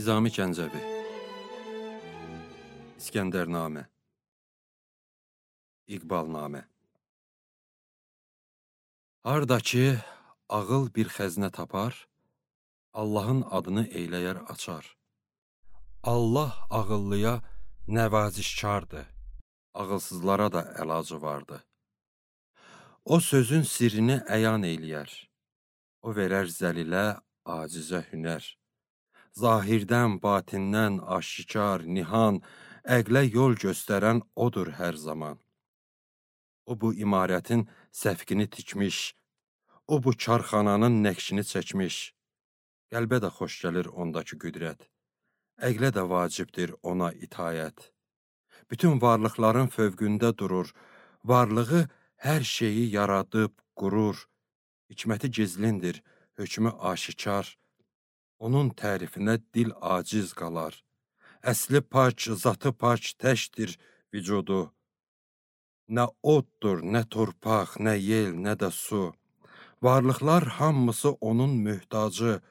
Nizami Gəncəvi İskəndərnamə İqbalnamə Harda ki, ağıl bir xəzinə tapar, Allahın adını eyləyər açar. Allah ağıllıya nəvazişkardır, ağılsızlara da əlacı vardı. O sözün sirrini əyan eyləyər, o verər zəlilə, acizə hünər. Zahirdən, batindən, aşikar, nihan, əqlə yol göstərən odur hər zaman. O bu imarətin səfqini tikmiş, o bu karxananın nəqşini çəkmiş. Qəlbə də xoş gəlir ondakı qüdrət, əqlə də vacibdir ona itayət. Bütün varlıqların fövqündə durur, varlığı hər şeyi yaradıb, qurur. Hikməti gizlindir, hökmü aşikar. Onun tərifinə dil aciz qalar. Əsli pak, zatı pak təkdir vücudu. Nə oddur, nə torpaq, nə yel, nə də su. Varlıqlar hamısı onun möhtacı,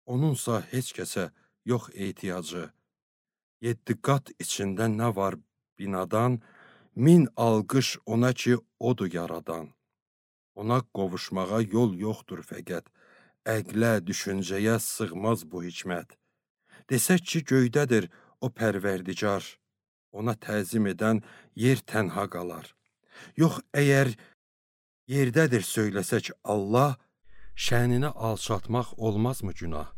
onunsa heç kəsə yox ehtiyacı. 7 qat içində nə var binadan, 1000 alqış ona ki, odur yaradan. Ona qovuşmağa yol yoxdur fəqət, əqlə, düşüncəyə sığmaz bu hikmət. Desək ki, göydədir o pərverdigar, ona təzim edən yer tənha qalar. Yox, əgər yerdədir söyləsək Allah, şənini alçaltmaq olmazmı günah?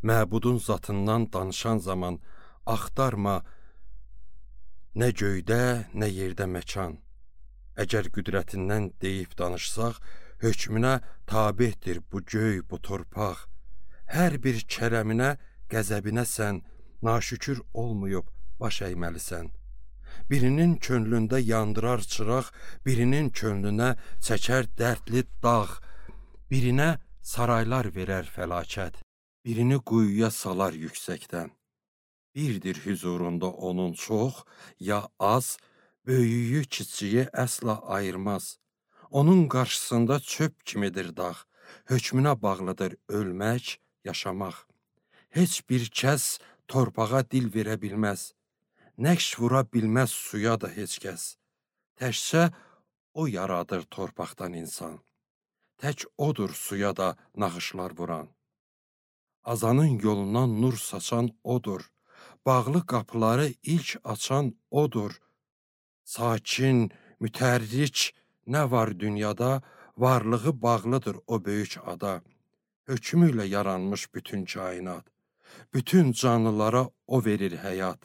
Məbudun zatından danışan zaman axtarma nə göydə, nə yerdə məkan. Əgər qüdrətindən deyib danışsaq, hökmünə tabedir bu göy, bu torpaq. Hər bir kərəminə, qəzəbinə sən naşükür olmayıb baş əyməlisən. Birinin könlündə yandırar çıraq, birinin könlünə çəkər dərdli dağ. Birinə saraylar verər fəlakət, birini quyuya salar yüksəkdən. Birdir hüzurunda onun çox, ya az, böyüyü, kiçiyi əsla ayırmaz. Onun qarşısında çöp kimidir dağ, hökmünə bağlıdır ölmək, yaşamaq. Heç bir kəs torpağa dil verə bilməz, nəqş vura bilməz suya da heç kəs. Təkcə o yaradır torpaqdan insan, tək odur suya da naxışlar vuran. Azanın yolundan nur saçan odur, bağlı qapıları ilk açan odur. Sakin, mütərrik nə var dünyada, varlığı bağlıdır o böyük ada. Hökmü ilə yaranmış bütün kainat, bütün canlılara o verir həyat.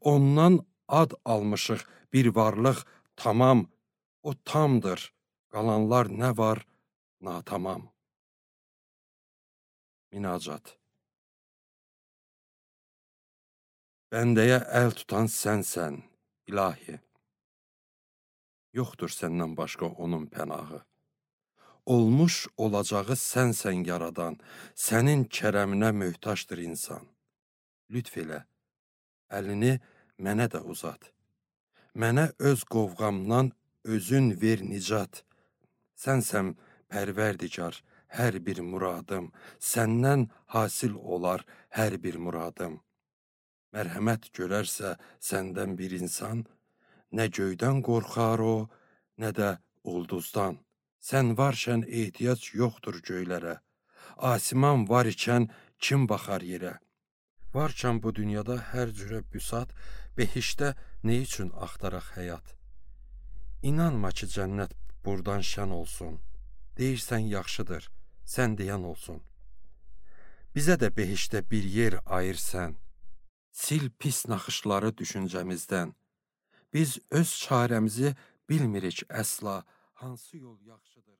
Ondan ad almışıq bir varlıq tamam, o tamdır, qalanlar nə var natamam. Minacat. Bəndəyə əl tutan sənsən, ilahi. Yoxdur səndən başqa onun pənahı. Olmuş olacağı sənsən yaradan, sənin kərəminə möhtaçdır insan. Lütf elə, əlini mənə də uzat. Mənə öz qovğamdan özün ver nicat. Sənsən pərverdigar hər bir muradım, səndən hasil olar hər bir muradım. Mərhəmət görərsə səndən bir insan, nə göydən qorxar o, nə də ulduzdan. Sən varkən ehtiyac yoxdur göylərə. Asiman var ikən kim baxar yerə? Varkən bu dünyada hər cürə büsat, behişdə nə üçün axtaraq həyat? İnanma ki, cənnət burdan şən olsun. Deyirsən yaxşıdır, sən deyən olsun. Bizə də behişdə bir yer ayır sən. Sil pis naxışları düşüncəmizdən. Biz öz çarəmizi bilmirik əsla, hansı yol yaxşıdır?